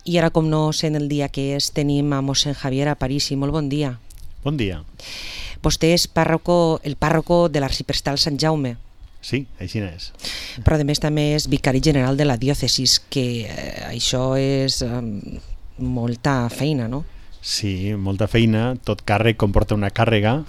I ara, com no sé en el dia que és, tenim a mossèn Javier Aparici. Molt bon dia. Bon dia. Vostè és el pàrroco de l'arxiprestal Sant Jaume. Sí, així és. Però a més també és vicari general de la diòcesis, que això és molta feina, no? Sí, molta feina. Tot càrrec comporta una càrrega,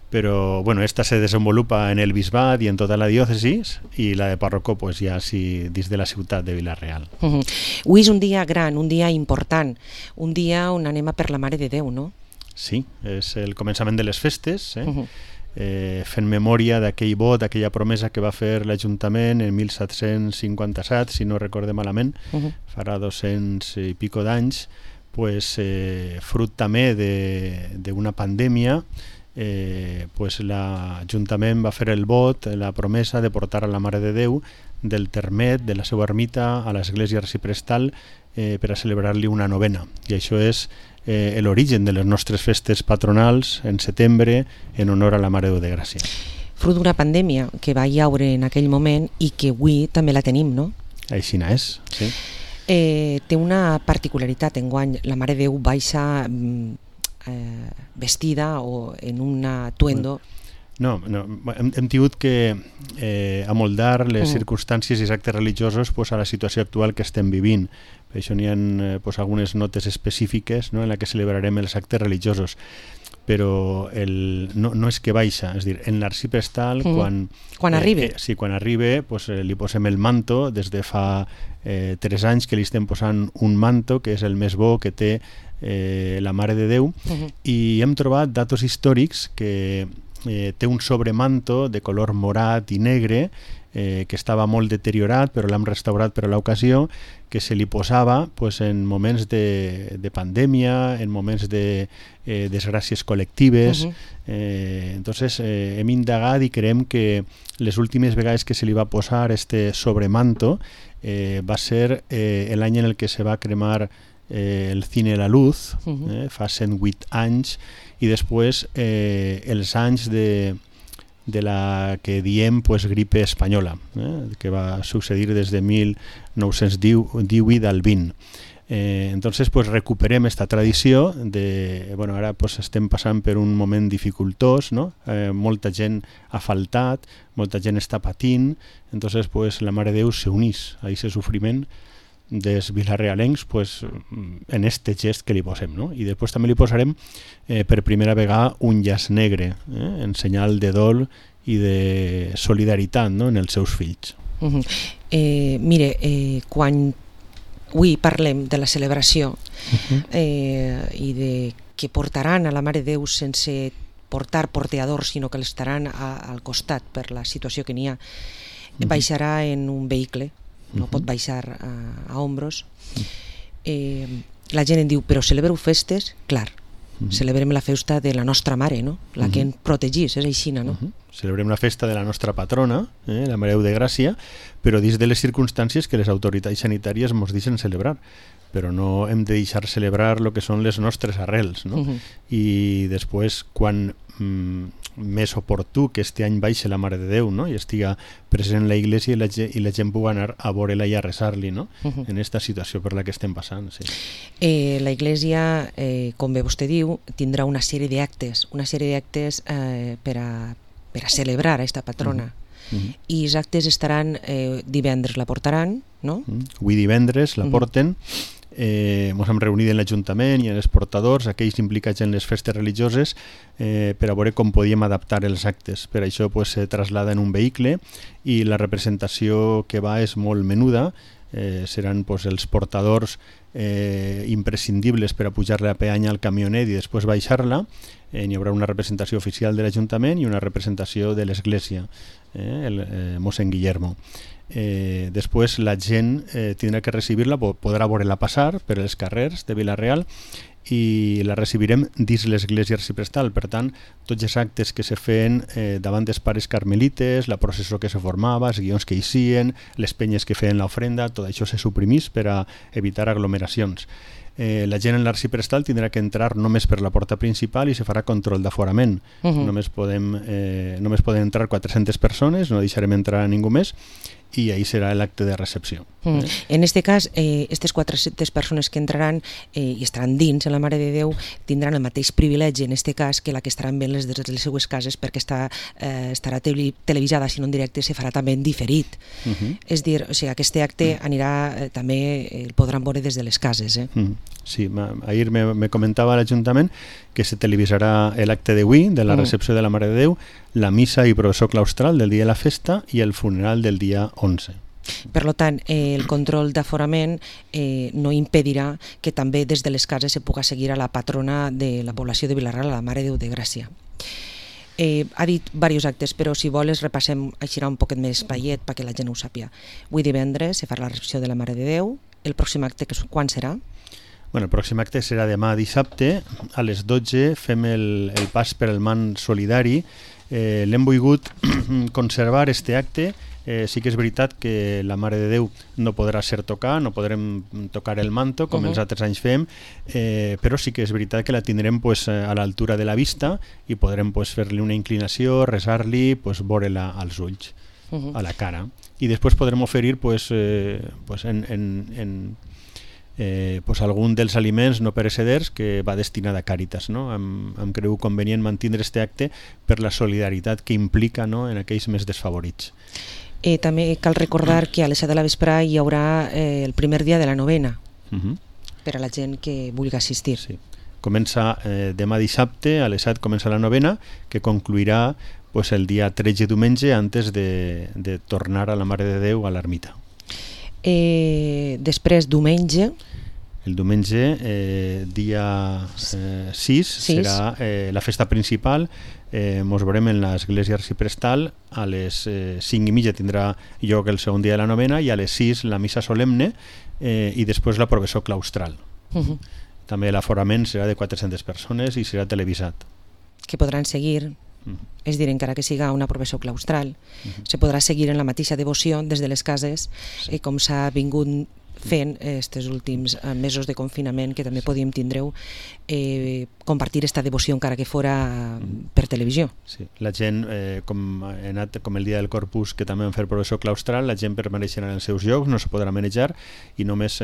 però bueno, esta se desenvolupa en el bisbat i en tota la diòcesis, i la de pàrroco pues, ja sí, dins de la ciutat de Vila-real. Avui és un dia gran, un dia important, un dia on anem a per la Mare de Déu, no? Sí, és el començament de les festes, fent memòria d'aquell vot, d'aquella promesa que va fer l'Ajuntament en 1757, si no recorde malament, farà 200 i pico d'anys, pues, fruit també d'una pandèmia. L'Ajuntament va fer el vot, la promesa de portar a la Mare de Déu del termet, de la seva ermita, a l'església arxiprestal per a celebrar-li una novena. I això és l'origen de les nostres festes patronals en setembre en honor a la Mare de Déu de Gràcia. Fruit d'una pandèmia que va haure en aquell moment i que avui també la tenim, no? Així és, sí. Té una particularitat enguany. La Mare de Déu baixa vestida o en un atuendo. No, hem tingut que amoldar les circumstàncies i els actes religiosos a la situació actual que estem vivint. Per això n'hi ha algunes notes específiques en què celebrarem els actes religiosos. Però no és que baixa, és a dir, en l'arxiprestal quan arriba li posem el manto. Des de fa 3 anys que li estem posant un manto que és el més bo que té la Mare de Déu, i hem trobat datos històrics que té un sobremanto de color morat i negre que estava molt deteriorat, però l'hem restaurat per a l'ocasió, que se li posava en moments de pandèmia, en moments de desgràcies col·lectives. Entonces hem indagat i creiem que les últimes vegades que se li va posar este sobremanto va ser l'any en el que se va cremar el Cine La Luz, fa 108 anys, i després els anys de la que diem gripe espanyola, que va succeir des de 1918 al 20. Entonces recuperem esta tradició de, ara estem passant per un moment dificultós, no? Molta gent ha faltat, molta gent està patint, entonces la Mare de Déu s'unís a aquest sofriment dels vilarrealencs en este gest que li posem, no? I després també li posarem per primera vegada un llaç negre, en senyal de dol i de solidaritat, no? En els seus fills. Mire, quan avui parlem de la celebració i de que portaran a la Mare de Déu sense portar porteadors, sinó que l'estaran al costat per la situació que n'hi ha, baixarà en un vehicle, no pot baixar a ombros. La gent em diu, però celebreu festes? Clar, celebrem la festa de la nostra mare, no? La que ens protegís, és així, no? Celebrem la festa de la nostra patrona, la Mare de Déu de Gràcia, però dins de les circumstàncies que les autoritats sanitàries ens deixen celebrar. Però no hem de deixar celebrar el que són les nostres arrels, no? I després, quan més oportú que este any baixa la Mare de Déu, no? I estiga present en la Iglésia i la gent pugui anar a veure-la i a resar-li, no? En aquesta situació per la que estem passant. Sí. La Iglésia, com bé vostè diu, tindrà una sèrie d'actes per a celebrar aquesta patrona. I els actes estaran divendres, la portaran, no? Avui divendres la porten. Ens hem reunit en l'Ajuntament i en els portadors, aquells implicats en les festes religioses, per a veure com podíem adaptar els actes. Per això se traslada en un vehicle i la representació que va és molt menuda. Seran els portadors imprescindibles per a pujar-la a peanya al camionet i després baixar-la. Hi haurà una representació oficial de l'Ajuntament i una representació de l'Església, el mossèn Guillermo. Després la gent tindrà que recibir-la, podrà veure-la passar per els carrers de Vila-real i la recibirem dins l'església arxiprestal. Per tant, tots els actes que se feien davant dels pares carmelites, la processó que se formava, els guions que hi sien, les penyes que feien l'ofrenda, tot això se suprimís per a evitar aglomeracions. la gent en l'arxiprestal tindrà que entrar només per la porta principal i se farà control d'aforament. Només poden entrar 400 persones, no deixarem entrar a ningú més, i ahí serà l'acte de recepció. En este cas, aquestes 400 persones que entraran i estaran dins en la Mare de Déu tindran el mateix privilegi en este cas que la que estaran veient des de les seues cases, perquè estarà televisada, si no en directe, se farà també en diferit. És dir, o sigui, aquest acte anirà també, el podran veure des de les cases. Sí, ahir me comentava l'Ajuntament que se televisarà l'acte d'avui, de la recepció de la Mare de Déu, la missa i processó claustral del dia de la festa i el funeral del dia 11. Per tant, el control d'aforament no impedirà que també des de les cases se puga seguir a la patrona de la població de Vila-real, a la Mare de Déu de Gràcia. Ha dit diversos actes, però si vols repassem així un poquet més espaiet perquè la gent ho sàpiga. Avui divendres se farà la recepció de la Mare de Déu. El pròxim acte quan serà? Bueno, el pròxim acte serà demà dissabte, a les 12 fem el pas per el mant solidari. L'hem volgut conservar, este acte. Sí que és veritat que la Mare de Déu no podrà ser tocar, no podrem tocar el manto com els altres anys fem, però sí que és veritat que la tindrem a l'altura de la vista i podrem fer-li una inclinació, resar-li, veure-la als ulls, a la cara. I després podrem oferir algun dels aliments no pereceders que va destinat a Càritas. Em creu convenient mantindre este acte per la solidaritat que implica en aquells més desfavorits. També cal recordar que a les 7 de la vesprà hi haurà el primer dia de la novena per a la gent que vulgui assistir. Sí. Comença demà dissabte, a les 7 comença la novena, que concluirà el dia 13 diumenge antes de tornar a la Mare de Déu a l'ermita. Després, diumenge... El diumenge, dia 6, serà la festa principal. Ens veurem en l'església arxiprestal. A les 5:30 tindrà lloc el segon dia de la novena i a les 6 la missa solemne i després la processó claustral. També l'aforament serà de 400 persones i serà televisat. Que podran seguir, és dir, encara que siga una processó claustral, se podrà seguir en la mateixa devoció des de les cases, com s'ha vingut fent aquests últims mesos de confinament, que també podíem tindre compartir aquesta devoció encara que fora per televisió. Sí, la gent, com el dia del Corpus, que també van fer processó claustral, la gent permaneixerà en els seus llocs, no se podrà manejar i només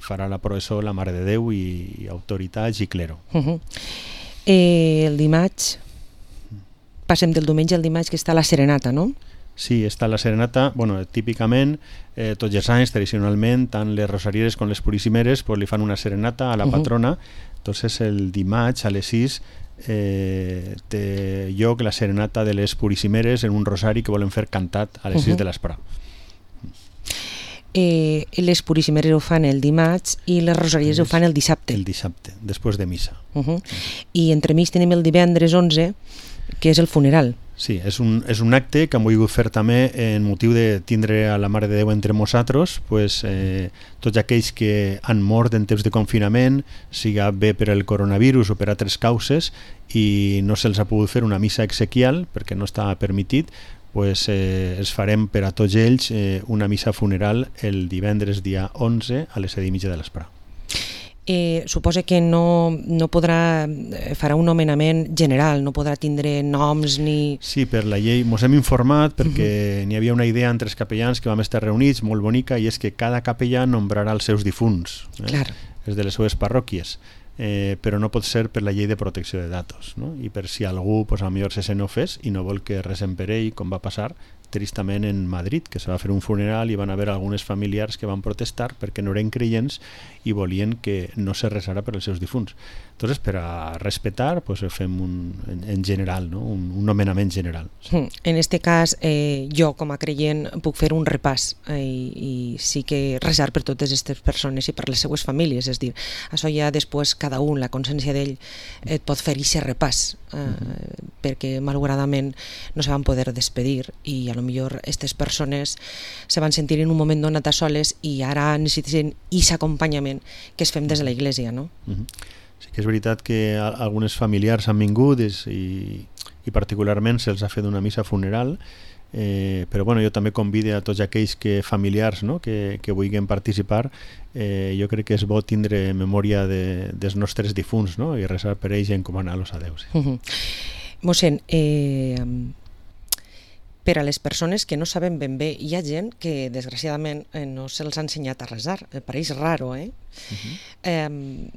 farà la processó la Mare de Déu i autoritats i clero. El dimarts, passem del diumenge al dimarts, que està la serenata, no? Sí, està la serenata. Típicament, tots els anys, tradicionalment, tant les rosarieres com les purissimeres li fan una serenata a la patrona. Entonces, el dimarts a les 6 té lloc la serenata de les purissimeres en un rosari que volen fer cantat a les 6 de l'esprà. Les purissimeres ho fan el dimarts i les rosarieres ho fan el dissabte. El dissabte, després de missa. I entremig tenim el divendres 11, que és el funeral. Sí, és un acte que hem volgut fer també en motiu de tindre a la Mare de Déu entre nosaltres, tots aquells que han mort en temps de confinament, siga bé per el coronavirus o per altres causes, i no se'ls ha pogut fer una missa exequial perquè no està permitit, es farem per a tots ells una missa funeral el divendres dia 11 a les 7:30 de l'esprà. Suposa que no podrà, farà un nomenament general, no podrà tindre noms ni... Sí, per la llei ens hem informat perquè n'hi havia una idea entre els capellans que vam estar reunits, molt bonica, i és que cada capellà nombrarà els seus difunts, els de les seves parròquies, però no pot ser per la llei de protecció de datos, i per si algú potser se sent ofès i no vol que resem per ell, com va passar tristament en Madrid, que se va fer un funeral i van haver algunes familiars que van protestar perquè no eren creients i volien que no se resara per els seus difunts. Entonces, per a respetar, fem en general, un nomenament general. En este cas, jo com a creient puc fer un repàs i sí que resar per totes aquestes persones i per les seues famílies, és dir, això ja després cada un, la consciència d'ell, et pot fer aquest repàs, perquè malauradament no se van poder despedir i a lo millor aquestes persones se van sentir en un moment donat a soles i ara necessiten aquest acompanyament que es fem des de la Iglésia, no? Sí que és veritat que algunes familiars han vingut i particularment se'ls ha fet una missa funeral però bueno, jo també convido a tots aquells familiars, no? que vulguin participar. Jo crec que és bo tindre memòria dels nostres difunts, no? I resar per ells i encomanar-los a Déu. Sí. Mossèn, per a les persones que no saben ben bé, hi ha gent que desgraciadament no se'ls ha ensenyat a resar, pareix raro,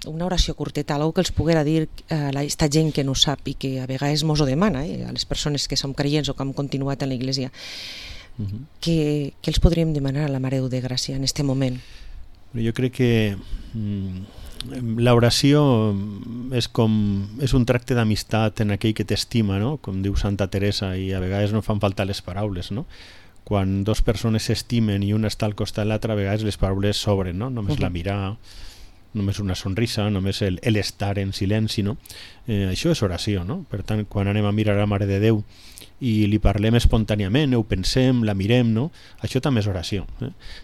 una oració curteta, algo que els poguera dir a aquesta gent que no sap i que a vegades mos ho demana, a les persones que som creients o que hem continuat en la Iglésia. Què els podríem demanar a la Mare de Déu de Gràcia en aquest moment? Jo crec que l'oració és un tracte d'amistat en aquell que t'estima, no? Com diu Santa Teresa, i a vegades no fan falta les paraules, no? Quan dos persones s'estimen i una està al costat de l'altra, a vegades les paraules sobren, no? Només la mirada, només una sonrisa, només l'estar en silenci, no? Això és oració, no? Per tant, quan anem a mirar a la Mare de Déu i li parlem espontàniament, ho pensem, la mirem, no? Això també és oració.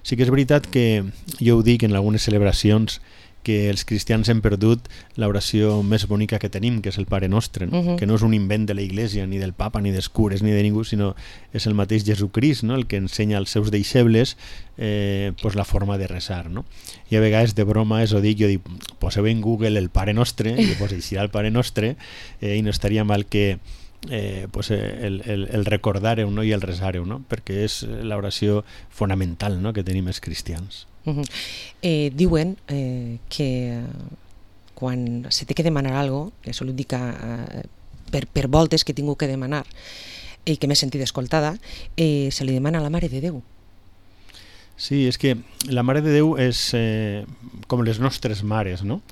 Sí que és veritat que jo ho dic en algunes celebracions, que els cristians hem perdut l'oració més bonica que tenim, que és el Pare Nostre, no? Que no és un invent de la Iglésia, ni del Papa, ni dels cures, ni de ningú, sinó és el mateix Jesucrist, no? El que ensenya als seus deixebles la forma de resar, no? I a vegades de broma ho dic, jo dic, poseu en Google el Pare Nostre, i llavors eixirà el Pare Nostre, i no estaria mal que el recordar-ho, no? I el resar-ho, no? Perquè és l'oració fonamental, no? Que tenim els cristians. Diuen que quan se té que demanar alguna cosa, que això ho dic per voltes que he tingut que demanar i que m'he sentit escoltada, se li demana a la Mare de Déu. Sí, és que la Mare de Déu és com les nostres mares, no?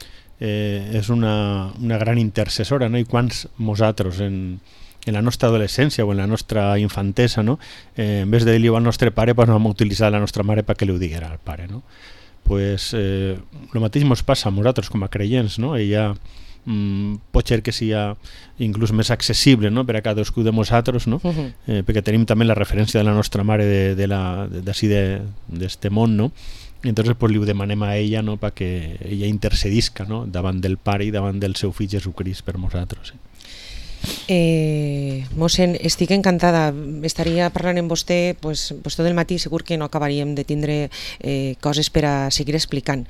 És una gran intercessora, no? I quants nosaltres en la nostra adolescència o en la nostra infantesa, no? En vez de dir-li al nostre pare, pues vam utilitzar la nostra mare perquè li ho diguera al pare, no? Pues el mateix ens passa a nosaltres com a creients, no? Ella pot ser que sigui inclús més accessible, no? Per a cadascú de nosaltres, no? Perquè tenim també la referència de la nostra mare d'ací d'este món, no? I entonces pues, li ho demanem a ella, no? Perquè ella intercedisca, no? Davant del pare i davant del seu fill Jesucrist per nosaltres. Mossèn, estic encantada, estaria parlant amb vostè tot el matí, segur que no acabaríem de tindre coses per a seguir explicant.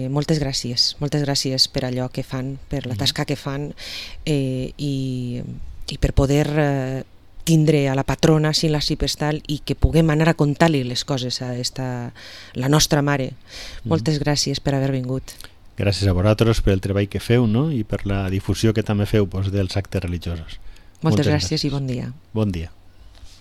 Moltes gràcies per allò que fan, per la tasca que fan i per poder tindre a la patrona sin la Sipestal i que puguem anar a contar-li les coses a la nostra mare. Moltes gràcies per haver vingut. Gràcies a vosaltres per el treball que feu, no? I per la difusió que també feu dels actes religiosos. Moltes gràcies i bon dia. Bon dia.